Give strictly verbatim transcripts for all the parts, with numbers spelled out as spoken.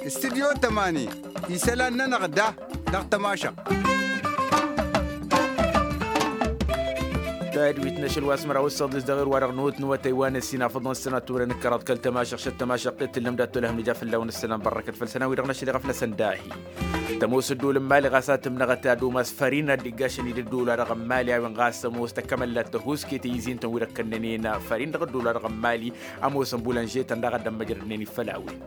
Studyo tămani isălan-nănăɣ da dăɣ-tămašăɣt. Tadwit n-ašăl wa s-măraw ǝssăɣ dăɣ-s dăɣ-ewăr wa-dăɣ n-otnăwătăy wa n-ăssinafăḍăn s-sănatturăn ǝkkăraḍ kăl-tămašăɣt šăt tămašăɣt i-tǝllăm dat-tolăhăm nǝja fălla-wen ǝssălan bărrăkăt făll-sănawi-dăɣ n-ašăl iɣăf n-asăndahi. Tămoos ăddool n-mali ɣas a tǝmnăɣăt ad-umas fărin ad-dd-iggašăn-dd ăddool-wa-dăɣ n-mali a-wen ɣas ămoos tăkămăllat tăhuske tăyǝzin-tăn wi-dăɣ kănnănen fărin dăɣ-ăddool-wa-dăɣ n-mali. Ămoosăn bulanže-tăn daɣ ad-ămmăjrădnen-dd făll-a-wen.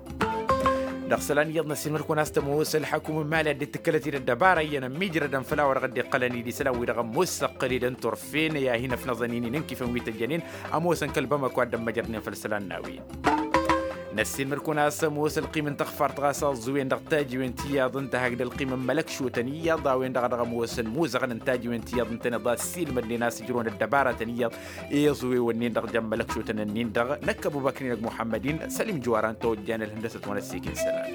Dăɣ-isălan iyyăḍ n-ăssiilmăd-kăwăn a-s tămoos ălḥăkum n-mali ad-dd-tǝkkălăt-dd ăddăbara iyyăn ămmiijrădăn făll-a-wa-dăɣ dd-iqqălăn-dd isălan-wi-dăɣ ămoos săqqăl-dd n-turfen i-ad-hin-ăfnăẓăn-in-i n-inkifăn wi tăjjănen. Ămoosăn kăl-bamăko ad-dd-ămmăjrădnen făll-isălan n-a-wen. Năssiilmăd-kăwăn a-s ămoos ălqim n-taɣfart ɣas a ăẓẓuwen dăɣ-tajiwen ti iyyăḍ ǝnta hakd ălqim n-imălăkšotăn iyyăḍ a-wen-dăɣ a dăɣ-ămoosăn imuzăɣăn n-tajiwen ti iyyăḍ ǝntăneḍ a ăssiilmădnen a-s ǝjrăwăn ăddăbaratăn iyyăḍ i-iẓuwewăn-nin-dăɣ jăn-imălăkšotăn-nin-dăɣ năkk ăbubăkr-in-dăɣ muḥămmăd-in sălim juwara ǝnta ojjan ălhăndăsăt wa n-ăssiik n-isălan.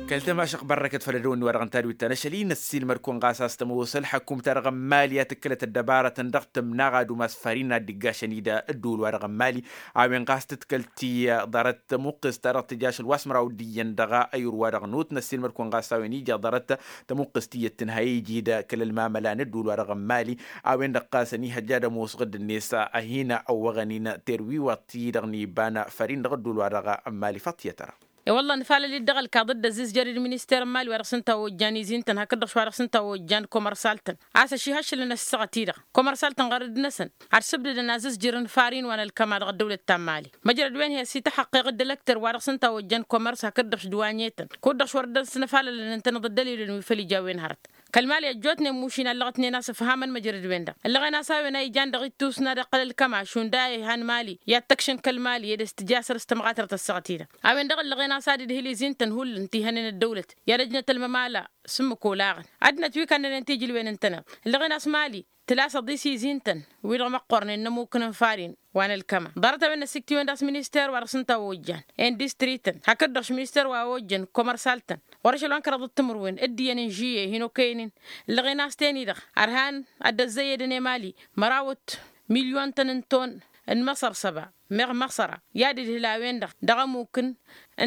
Kăl-tămašăɣt bărrăkăt făll-ădăwănni-wa-dăɣ n-tadwit ta n-ašăl-i năssiilmăd kăwăn ɣas a-s tămoos ălḥăkkum-ta-dăɣ n-mali a tǝkkălăt ăddăbarătăn dăɣ-tǝmnaɣ ad-umas fărin n-ad-dd-iggašăn-dd ădduul-wa-dăɣ n-mali. A-wen ɣas tǝtkăl-t-i ḍarăt tămuqqǝst-ta-dăɣ tǝja ašăl wa s-măraw d-iyyăn dăɣ-ayǝr-wa-dăɣ n-ut năssiilmăd kăwăn ɣas a-wen ija ḍarăt tămuqqǝst iyyăt tǝnhăy iji-dd kăl-ălmamăla n-ădduul-wa-dăɣ n-mali. A-wen-dăɣ ɣas ănihăjja ad-ămoosăɣ dd-net a hin-ăwwăɣăn-in terwiwaḍt-i-dăɣ n-iba n-fărin dăɣ-ădduul-wa-dăɣ n-mali faḍt iyyăt ăra. E-wălla nǝfalăl-dd dăɣ-ălkaḍ dd-ăzzizjăr d-minister n-mali wa dăɣ-s ǝnta a ojjan izintăn hakd-dăɣ š-wa dăɣ-s ǝnta a ojjan komărsal-tăn a-s ăšihăššǝlăn ăssaɣăt-i-dăɣ komărsal-tăn ɣărăd-năsăn ad-sǝbdǝdăn azǝzjǝr n-farin wa n-ălkăma dăɣ-ăddăwlăt ta n-mali. Măjrăd-wen hi-ăsităxăqqeɣ dd-ălăkter wa dăɣ-s ǝnta a ojjan komărs hakd-dăɣ š-dwanyetăn kud-dăɣ š-wăr dd-ăsnăfalălăn ǝntăneḍ ăddălilăn wi făl ija a-wen hărăt. Kăl-mali ăjjootnen mušin a ǝllăɣătnen a-s ǝfhamăn măjrăd-wen-dăɣ ǝllăɣen a-s a-wen a ijan dăɣ-ittus n-ad-iqqăl ălkăma šund a ihan mali i-ad-tăkšăn kăl-mali ed ăstǝja săr-s tămɣatărt ăssaɣăt-i-dăɣ. A-wen-dăɣ ǝllăɣen a-s ad-idhǝl izintăn hullan ti hănen ăddăwlăt i-ad-ăjnăt ălmămala s-ǝmmǝk olaɣăn ăddinăt wi kannănen tijǝlwen ǝntăneḍ ǝllăɣen a-s mali tǝlasăḍ i-s izintăn wi-dăɣ măqqornen n-ămukǝn n-farin wa n-ălkăma ḍarăt a-wen n-ăsiktiwen d-a-s minister wa dăɣ-s ǝnta a ojjan industri-tăn hakd-dăɣ š-minister wa ojjăn komărsal-tăn ɣur-ašăl wa n-kăraḍăt timǝrwen d-iyyăn n-žiyye hin-okăyăn-in. Ǝllăɣen a-s ten-i-dăɣ ărhan ad-dd-ăzzăyyădăn i-mali mărawăt milyon-tăn n-ton n-măsăr săba meɣ măsăra i-ad-idhǝl a-wen-dăɣ dăɣ-ămukǝn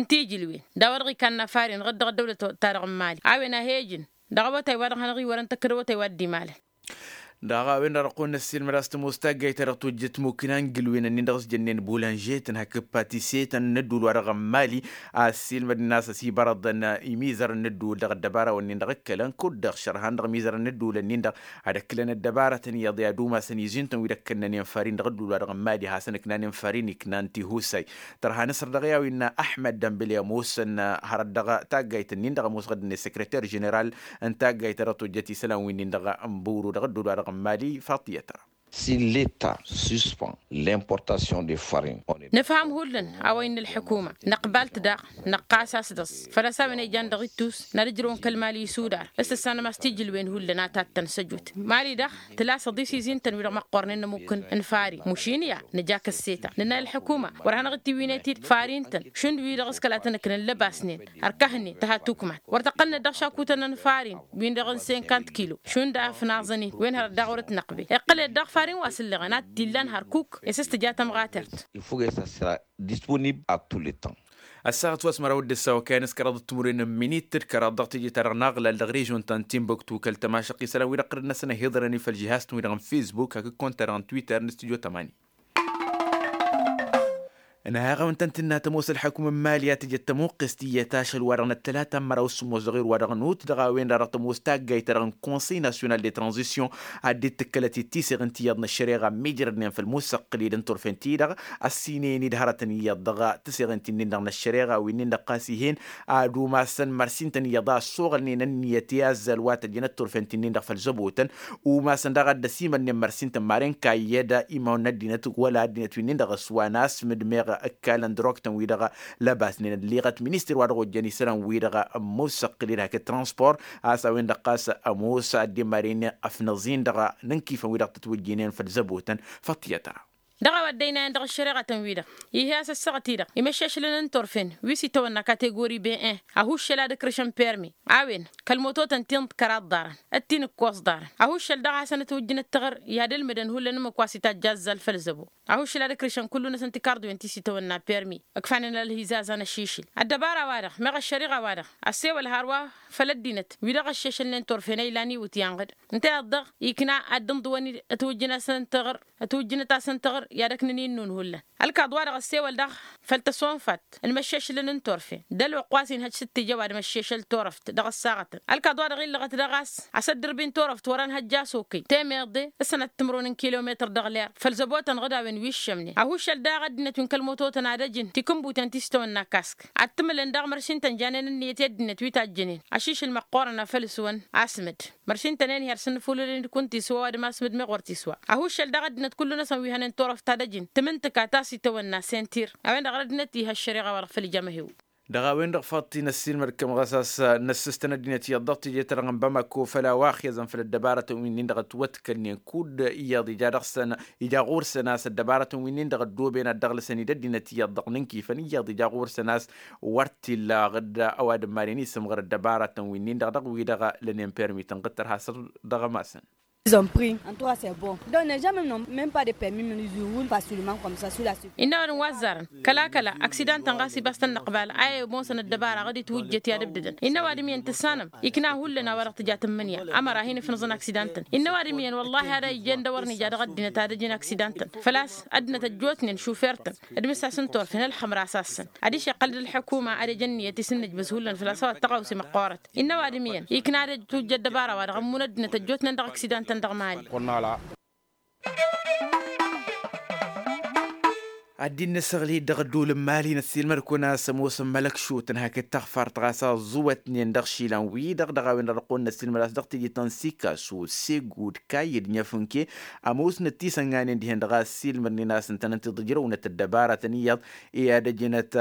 n-tijǝlwen d-a-wa dăɣ-ikanna faren ɣǝd dăɣ-ăddăwlăt-ta-dăɣ n-mali a-wen a he-ijǝn dăɣ-awătay wa dăɣ-hanăɣ-iwărăn tăkkăd awătay wa dd-imalăn. Dăɣ-a-wen-dăɣ dăɣ-kăwăn-năssiilmăd a-s tămoos taggayt ta dăɣ-tojjăt mukǝn a n-gǝlwen-ǝnnin-dăɣ s-jănnen bulanžetăn hakd patiseten n-ădduul-wa-dăɣ n-mali. A ăssiilmădnen a-s ăsibărăḍăn imizărăn n-ădduul dăɣ-ăddăbarawăn-nin-dăɣ ǝkkălăn kud-dăɣ šărhan dăɣ-imizărăn n-ădduulăn-nin-dăɣ ad-ăkklăn ăddăbarătăn iyyăḍ i-ad-umasăn izintăn wi dd-ăkkănnănen fărin dăɣ-ădduul-wa-dăɣ n-mali hasăn-ǝknanen fărin iknan tihusay. Tărha nǝsăr dăɣ-i a-wa innă ăḥmăd dămbǝl i-ămoosăn hărăt dăɣ-taggayt-ǝnnin-dăɣ ămoosăɣ-dd-net săkrăter ženeral n-taggayt ta dăɣ-tojjăt isălan wi-nin-dăɣ n-buru dăɣ-ădduul-wa-dăɣ n-mali faḍt iyyăt ăra. Si leta suspăn l'importation de farine. Nǝfham hullan a-wa innă ălḥukuma năqbal-t daɣ năqqas-as dăɣ-s făl-a-s a-wen a ijan dăɣ-ittus n-ad-ǝjrăwăn kăl-mali isudar s-tǝssanăm a-s tijǝlwen hullan a tattăn săjut mali daɣ tǝlasăḍ-i s-izintăn wi-dăɣ măqqornen n-ămukǝn n-fari mušin ya nǝja kăsseta nǝnna i-ălḥukuma wăr hanăɣ-dd-tiwǝynet-dd fari-tăn šund wi-dăɣ s-kăla tăn-ǝknăn lăbasnen ărkăhnen tăha tukmat wăr tăqqălnet dăɣ-šakutăn n-fari-n wi-dăɣ n-senkant kilo šund a ăfnaẓăn-in wen hărăt daɣ wăr-ătnăqbel iqqăl-ed daɣ fari-n wa s-ǝlleɣăn ad-t-illan hărkuk i-s s-tǝja tămɣatert. Ăssaɣăt wa s-măraw d-ǝssa okăyăn s-kăraḍăt timǝrwen n-minit d-kăraḍ dăɣ-teje-ta-dăɣ n-aɣlal dăɣ-režion ta n-tinbuktu kăl-tămašăq isălan-wi-dăɣ ɣărăd-năsăn ăhiḍărăn i-făll-žihaz-tăn-wi-dăɣ n-fisbuk hakd konta-dăɣ n-twitter n-studyo tămani. Ănhăɣ-awăn-tăn-tǝnna tămoos ălḥăkum n-mali a tǝjăt tămuqqǝst iyyăt ašăl-wa-dăɣ n-ăttălata n-măraw s-sǝmmos dăɣ-erwa-dăɣ n-ut dăɣ-a-wen-dăɣ tămoos taggayt-ta-dăɣ n-konsăy nasyonal de tranzisyon a dd-tǝkkălăt-dd tiseɣǝnt iyyăḍ n-ăššăreɣa ămmiijrădnen făll-musăqqǝl-dd n-turfen-ti-dăɣ ăssinăyăn-dd hărătăn iyyăḍ dăɣ-tiseɣǝnt-in-dăɣ n-ăššăreɣa wi-nin-dăɣ ɣas ih'-en ad-umasăn mărsintăn iyyăḍ a ăssoɣălnen ǝnniyăt i-azzal wa tăjjănăt turfen-ti-nin-dăɣ făll-zăbotăn. Umasăn daɣ ad-dd-ăsimănnen mărsintăn maren kayyăd imawăn n-ăddinăt wăla ăddinăt wi-nin-dăɣ s-wa n-asmǝd meɣ ǝkkalăn drogtăn-wi-dăɣ lăbasnen ălleɣăt minister wa dăɣ-ojjăn isălan-wi-dăɣ ămmusăqqǝl-dd hakd transport a-s a-wen-dăɣ ɣas ămoos ad-dd-imaren ăfnăẓ-in-dăɣ n-inkifăn wi-dăɣ tătwǝjjǝynen făll-zăbotăn. Făṭṭiyăt-ra. Dăɣ-a-wa dd-ăynayăn dăɣ-ăššăreɣătăn-wi-dăɣ, ih'-e-as ăssaɣăt-i-dăɣ imăššašlăn n-turfen wi s-itawănna kategori ben-en, ad-huššăl ad-ǝkrǝšăn permi a-wen kăl-mototăn ti n-kăraḍ ḍarăn d-ti n-ǝkkoẓ ḍarăn. Ad-huššăl daɣ a hasăn-ătwǝjjǝn ǝttăɣăr i-ad-ǝlmǝdăn hullan ǝmmǝk wa s-itajj azzal făll-zăbo. Ad-huššăl ad-ǝkrǝšăn kullu-năsăn tikarḍiwen ti s-itawănna permi ǝkfanen ălhizazan ăššišǝl. Ăddăbara-wa-dăɣ meɣ ăššăriɣa-wa-dăɣ ăssewăl hărwa făll-ăddinăt wi dăɣ-ăššešălnen turfen a ilan iwǝtyan ɣǝd. Ǝnta-i-dăɣ ikna ad-dd-ǝnḍǝwăn ătwǝjjǝn-asăn tăɣr ătwǝjjǝnăt-asăn tăɣr i-ad-ăknăn innun hullan. Ălkaḍ-wa-dăɣ ăssewăl daɣ făll-tăsonfat n-imăššešlăn n-turfen d-ălwăqq wa s-inhăj s-ǝttǝjăw ad-imăššešăl turăft dăɣ-ăssaɣătăn. Ălkaḍ-wa-dăɣ illăɣăt daɣ a-s asăddărbi n-turăft wăr-ănhăjja s-okăy temeḍe s-sănăt timǝrwen n-kilometăr dăɣ-ler făll-zăbotăn ɣǝd a-wen wi ǝššămnen. Ad-huššăl daɣ ăddinăt wi n-kăl-mototăn ad-ăjǝn tikǝnbuten ti s-tawănna kask ad-tǝmǝlăn daɣ măršin-tăn janen ǝnniyăt i-ăddinăt wi tajjănen. Ašišǝl măqqoorăn a făl s-wăn asmǝd măršin-tăn-en her-săn nǝfulǝlăn d-kunta iswa ăwadǝm asmǝd meɣ wăr t-iswa. Ad-huššăl daɣ ăddinăt kullu-năsăn wi hănen turăft ad-ăjǝn tǝmǝntǝka ta s-itawănna sentir. A-wen-dăɣ ăddinăt ih' ăššăreɣa-wa-dăɣ făll-ijamăhew. Dăɣ-a-wen-dăɣ faḍt-i n-ăssiilmăd-kăm ɣas a-s năssǝstăn ăddinăt iyyăḍ dăɣ-teje-ta-dăɣ n-bamako făll-a-wa ăxyăẓăn făll-ăddăbarătăn wi-nin-dăɣ ătwătkălnen kud-iyyăḍ ija dăɣ-săn ija ɣur-săn a-s ăddăbarătăn wi-nin-dăɣ ăddooben ad-dăɣ-lăsăn-dd ăddinăt iyyăḍ dăɣ-nǝnkifăn iyyăḍ ija ɣur-săn a-s wăr t-illa ɣǝd ăwadǝm maden isǝmɣăr ăddăbarătăn wi-nin-dăɣ dăɣ-wi-dăɣ lănen permi tănɣǝttăr hasăr dăɣ-ămasăn. Ils ont pris. En tout cas, c'est bon. Donc, les gens même n'ont même pas de permis, mais ils roulent facilement comme ça, sous la surveillance. Innă ăwadǝm wa ăzzarăn kăla-kăla aksidan-tăn ɣas ibas tăn-năqbal a i-ămoosăn ăddăbara ɣǝd-itwǝjjăt i-ad-ǝbdǝdăn. Innă ăwadǝm iyyăn tǝssanăm ikna hullan a-wa-dăɣ tǝja tǝmmǝnǝya ămăra a hin-ǝfnǝẓăn aksidan-tăn. Innă ăwadǝm iyyăn wăllahi ad-ăjjeen d-a wăr nǝja dăɣ-ăddinăt ad-ăjǝn aksidan-tăn făl-a-s ăddinăt ăjjootnen šufer-tăn d-mǝsas n-turfen ălxămra a sassăn. Ad-išeqqăl d-ălḥukuma ad-ej ǝnniyăt i-s n-nǝjbǝz hullan făl-a-s a-wa t-tăɣawse măqqoorăt. Innă ăwadǝm iyyăn ikna ad-ăjj tujja ăddăbara-wa-dăɣ ămmun ăddinăt ăjjootnen dăɣ-aksidan-tăn dăɣ-mali. Ad-dd-innăsăɣlăy-dd dăɣ-ădduul n-mali năssiilmăd-kăwăn a-s ămoosăn mălăkšutăn hakd taɣfart ɣas a ăẓẓuwătnen dăɣ-išilan-wi-dăɣ dăɣ-a-wen-dăɣ dăɣ-kăwăn năssiilmăd a-s dăɣ-teje ta n-sikasu segud kayy d-nefǝnke. Ămoosnăt tisănganen dihen-dăɣ a ăssiilmădnen a-s ǝntănăn tiḍǝjrăwnăt ăddăbarătăn iyyăḍ i-ad-ăjnăt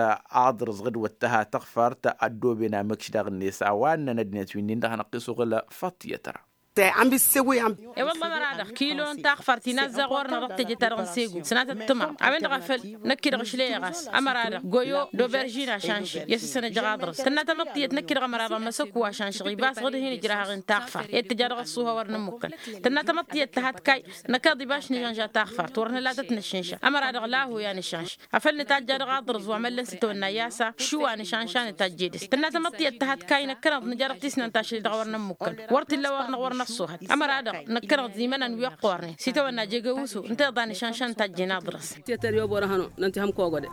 aḍrǝẓ ɣǝd-wăt tăha taɣfart ăddooben amǝkš daɣ-net a-wa ǝnnăn ăddinăt wi-nin-dăɣ hanăɣ-t-isuɣǝl. Faṭṭiyăt ra. E-wălla ămăra-dăɣ kilo n-taɣfart inazza ɣur-năɣ dăɣ-teje-ta-dăɣ n-segu sănatăt tǝmam a-wen-dăɣ a făl năkk-i-dăɣ ǝšley eɣas. Ămăra-dăɣ goyo d-oberžin ašanšăɣ i-asǝssăn ăjăɣ aḍrǝẓ tǝnna tamăḍt tiyyăt năkk-i-dăɣ ămăra-dăɣ măsăku ašanšăɣ ibas ɣǝd hin-ǝjrahăɣ-in taɣfart i-ad tǝja dăɣ-ăṣṣuha wăr nǝmmukăn. Tǝnna tamăḍt tiyyăt tăhat kayy năkk-i-dăɣ ibas nǝžănža taɣfart wăr nǝla tăt-nǝššǝnša. Ămăra-dăɣ lahu i-ad-nǝššǝnš afăl nǝtajja dăɣ-aḍrǝẓ wa măllăn s-itawănna i-asa šuwa nǝšanša nǝtajje dăɣ-s tǝnna tamăḍt tiyyăt tăhat kayy năkkăneḍ nǝja dăɣ-tisnant ašli dăɣ-wăr nămmukăn. Wăr t-illa wăr năɣ wăr năṣṣuhăt ămăra-dăɣ năkkăneḍ imănan wi ăqqoornen s-itawănna jegăwusu ǝnta iḍa nǝšanša nǝtajjen aḍrǝẓ. Tiyătăr i-oborăhăn-o nănti hăm kogode.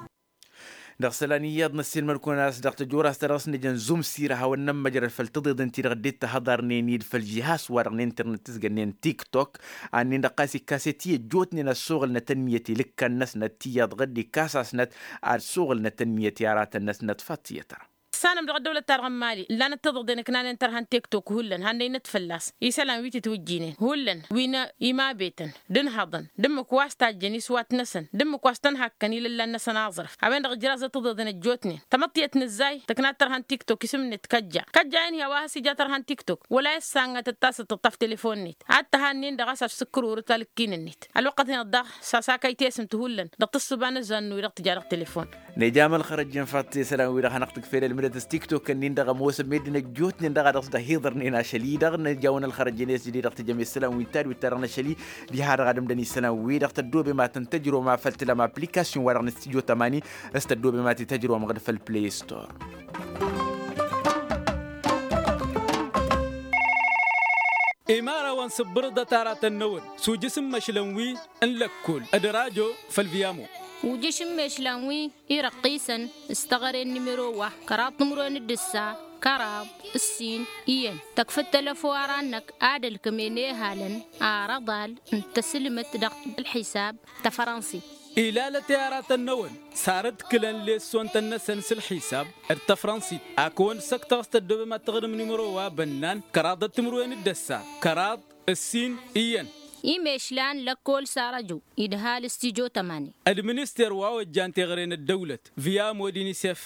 Dăɣ-isălan iyyăḍ năssiilmăd-kăwăn a-s dăɣ-tăjora a-s ta dăɣ-s nǝjăn zumsir ad-hawăn-nămmăjrăd făll-tiḍeḍen-ti-dăɣ dd-tahăḍarnen-dd făll-žihas-wa-dăɣ n-internet s-gănnen tiktok. Ad-nin-dăɣ ɣas ikkas-e ti ăjjootnen ad-suɣǝlnăt ǝnniyăt i-lǝkkan-năsnăt tiyyăḍ ɣǝd-ikkas-asnăt ad-suɣǝlnăt ǝnniyăt i-aratăn-năsnăt fattiyăt-ra. Tǝssanăm dăɣ-ăddăwlăt-ta-dăɣ n-mali ǝllanăt tiḍeḍen ǝknanen tărha n-tiktok hullan hannăynăt fălla-s isălan wi tǝtwǝjjinen hullan wi n-imabetăn d-ǝnhăḍăn d-ǝmmǝk wa s-tajjăn iswat-năsăn d-ǝmmǝk wa s-tăn-hakkăn ilăllan-năsăn aẓrǝf. A-wen-dăɣ ǝjrazăt tiḍeḍen ăjjootnen tamăḍt tiyyăt n-ǝzzay tăknat tărha n-tiktok isǝm-net kăjja kăjja-en hi-a-wa has-ija tărha n-tiktok wăla i-ăssangatăt tasăḍt tăṭṭaf telefon-net ad-tăha ǝnnin-dăɣ a-s afsǝkkăr orăt alǝkkin-net. Ălwăqqăt-net daɣ s-asakăy tesǝmt hullan dăɣ-tǝssǝba n-ǝzzan-năwwi dăɣ-tǝja dăɣ-telefon. Nejam ălxărăj-en faḍt i-isălan-wi-dăɣ hanăɣ-tǝkfel ălmǝdăt s-tiktok-ǝnnin-dăɣ ămoosăn meddǝn ăjjootnen dăɣ-a dăɣ-s dăhiḍărnen ašăl-i-dăɣ nǝjawăn ălxărăj-en i-s jădid dăɣ-tijăm i-isălan wi n-tad wi t-ad-dăɣ-năšăl-i. Diha-dăɣ ad-ǝmdăn isălan-wi-dăɣ tăddoobem ad-tăn-tăjrăwăm afăl tǝlăm application-wa-dăɣ n-stijo tămani s-tăddoobem ad-t-tăjrăwăm ɣǝd făll-play store. Imărawăn sǝbbărăḍăt aratăn-năwăn s-ujǝs n-imăšlan wi n-lăkkol d-rajo făll-viyamo. Ujǝš n-imăšlan wi irăqqisăn s-teɣăre n-nimero wa kăraḍ timǝrwen d-ǝssa kăraḍ ǝssin iyyăn tăkfăt telăfo ara-năk ad-ălkămen ehalăn arăḍal n-tăsǝlmăt dăɣ-ălḥisab tafrănsit. Ilalăt i-aratăn-năwăn sarăt kǝlăn lessont-năsăn s-ălḥisab d-tafrănsit a kăwăn-săktăɣ s-tăddoobem ad-tăɣrǝm nimăro wa bănnan kăraḍăt timǝrwen d-ăssa kăraḍ ǝssin iyyăn. Imešlan lăkkol s-arăju idhal s-tijo tămani. D-minister wa ojjan teɣăre n-ăddăwlăt via mod-inisef.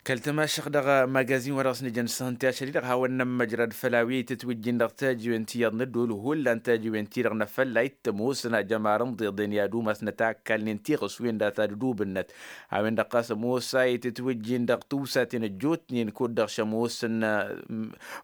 Kăl-tămašăɣt dăɣ-magazin wa dăɣ-s nǝjăn s-hăn tiašăl-i-dăɣ hawăn-nămmăjrăd făll-a-wi tǝtwǝjjin dăɣ-tajiwen ti iyyăḍ n-ădduul hullan tajiwen-ti-dăɣ n-afălla ittam osăn ajămar n-iḍeḍen i-ad-umasnăt a ǝkkalnen tiɣǝswen data d-ădubǝnnăt. A-wen-dăɣ ɣas ămoos a itǝtwǝjjin dăɣ-tiwsaten ăjjootnen kud-dăɣ šămoosăn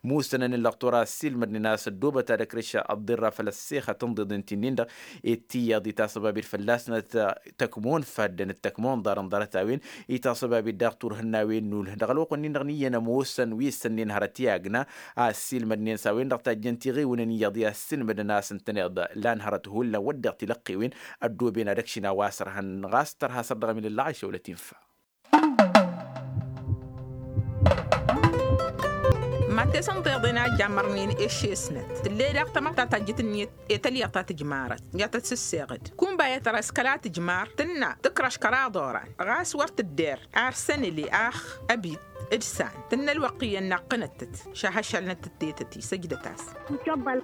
musăn ănǝllăɣ tura ăssiilmădnen a-s ăddoobăt ad-ăkrǝš ăḍḍirra făll-ăssexăt n-iḍeḍen ti-nin-dăɣ. Ed tiyyăḍ itasăbabed fălla-snăt tăkmon faddăn d-tăkmon ḍarăn ḍarăt-a-wen. Itasăbabed daɣ turhǝnnawen n-ulh dăɣ-ălwăqq-nin-dăɣ n-iyyăn ămoosăn wi ǝssănnen hărăt i-agna a ăssiilmădnen s-a-wen-dăɣ tajjăn tiɣiwǝnăn iyyăḍ i-assilmădăn a-s ǝntăneḍ lan hărăt hullan wădden tilăqqewen ăddooben ad-ăkšin a-wa s-ărhăn ɣas tărha săr dăɣ-emilăllaɣ išăwlăt infa. Mates n-tiḍen a jammărnen eššesnăt tǝlle daɣ tamăḍt ta tajjǝt-net i-tălyaḍt ta tǝjmarăt i-ad-tăt-sǝsseɣ-dd kunba i-tăra s-kăla tǝjmar tǝnna tǝkrăš kăraḍ oran ɣas wăr tǝdder ar sănǝle ax ăbit d-san tǝnna ălwăqq iyyăn naqqǝnăt-tăt šahăššalnăt-tăt tetăt isăjdăt-as.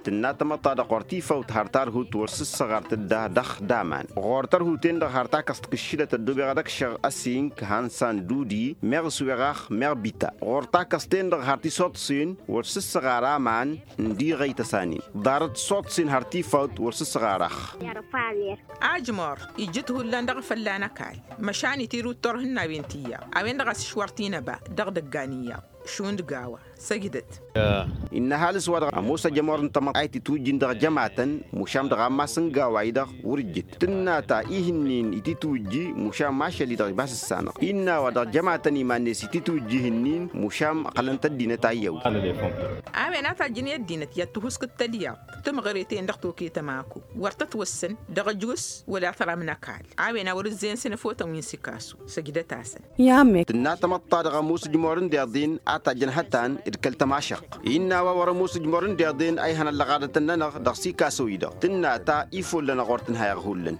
Tǝnna tamăḍt-ta-dăɣ ɣur-tifawt har tarhut wăr sǝssăɣar tǝdda dăɣ-daman ɣur-tărhut-en-dăɣ har takăst kǝššǝdăt ăddoobeɣ ad-ăkšăɣ ăsink hansan dudi meɣ s-weɣ ax meɣ bita ɣur-takăst-en-dăɣ har tisoḍsen wăr sǝssăɣar aman n-diɣăy tăsanin ḍarăt soḍsen har tifawt wăr sǝssăɣar ax. Ajmor ijjǝt hullan dăɣ-fălla n-ăkall măšan itirǝw d-turhǝnnawen ti iyyăḍ a-wen-dăɣ a-s ǝšwăr-t inăba dăɣ-idăggan iyyăḍ šund gawa săjdăt. Innă ăhalǝs-wa-dăɣ ămoos ajămor n-tamăḍt a itǝtwǝjjǝn dăɣ-jămatăn mušam dăɣ-ammas n-gawa-i-dăɣ wăr-ǝjjǝt tǝnna ta ihǝnnin itǝtwǝjji mušam ašăl-i-dăɣ ibas ǝssanăɣ innă a-wa dăɣ-jămatăn iman-net itǝtwǝjji ihǝnnin mušam ăqqălăn-t ăddinăt a iyyăwǝd. A-wen a tajjăn i-ăddinăt i-ad-tǝhuskǝd tălyaḍt tǝmɣăre-ten-dăɣ toke tămaku wăr tătwăssăn dăɣ-ăjus wăla tăram n-ăkall. A-wen a wăr-ǝzzeyăn s-inăfotăn wi n-sikasu săjdăt-asăn. I-ammǝk. Tǝnna tamăḍt-ta-dăɣ ămoos ǝjmor n-deḍen a tajjăn hătan d-kăl-tămašăɣt innă a-wa wăr-ămoos ǝjmor n-deḍen a ihăn ăllăɣadăt ănnănăɣ dăɣ-sikaso-i-dăɣ tǝnna ta ifolăn ăɣur tǝnhayăɣ hullan.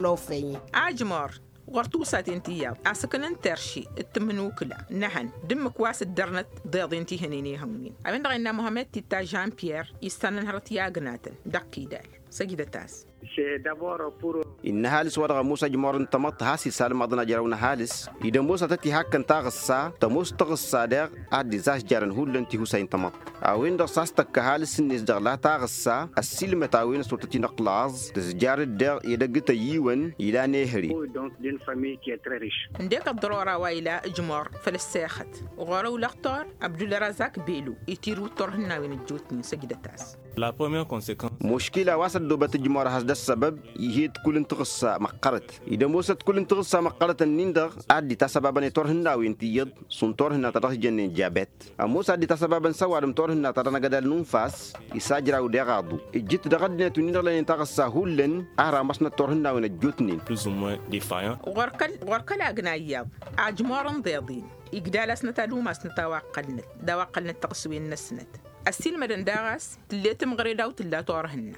Ajmor ɣur-tiwsaten ti iyyăḍ a-s ǝknăn terši d-tǝmnukǝla n-ehăn d-ǝmmǝk wa s-ǝddărnăt deḍen ti hănen ihăwnen a-wen-dăɣ innă muhămmăd titta žan pyer issanăn hărăt i-agnatăn dăɣ-kidal. Săjdăt-as. Innă ăhalǝs-wa-dăɣ ămoos ajmor n-tamăḍt has-isalmăḍăn ajrăw n-ăhalǝs-i d-ămoos ad-tăt-ihakkăn taɣǝssa tămoos taɣǝssa deɣ ad-dd-izazjarăn hullan tihusay n-tamăḍt. A-wen-dăɣ s-a-s tăkk ăhalǝs-net dăɣ-la taɣǝssa ăssiilmăt a-wen s-wăr tăt-inăqqǝlaẓ tǝzjar-dd deɣ edăgg tăyyiwăn ilan ehăre. Ǝndek ăḍḍărora wa ila ǝjmor făll-ăssexăt ɣur-ăwlăɣ tor abdulrazak belu itirǝw d-turhǝnnawen ăjjootnen săjdăt-as. Muškila wa s-ăddoobăt ǝjmor a has-dd-ăssăbăb ih'-e d-kull n-taɣǝssa măqqărăt-i d-ămoosăt kull n-taɣǝssa măqqărăt-ǝnnin-dăɣ a dd-itasăbabăn i-turhǝnnawen ti iyyăḍ šund turhǝnna ta dăɣ-s jănnen jabet ămoos a dd-itasăbabăn s-ăwadǝm turhǝnna ta dăɣ-năgădal n-unfas. Isajraw deɣ aḍu ǝjjǝt dăɣ-ăddinăt wi-dăɣ lănen taɣǝssa hullan a hărămăsnăt turhǝnnawen ăjjootnen. Ɣur-kăl-agna iyyăḍ ajmor n-iḍeḍen igdal-asnăt ad-umasnăt a-wa ǝqqălnăt d-a-wa ǝqqălnăt taɣǝswen-năsnăt. Ăssiilmădăn daɣ a-s tǝlle tǝmɣăre daw-tǝlla turhǝnna.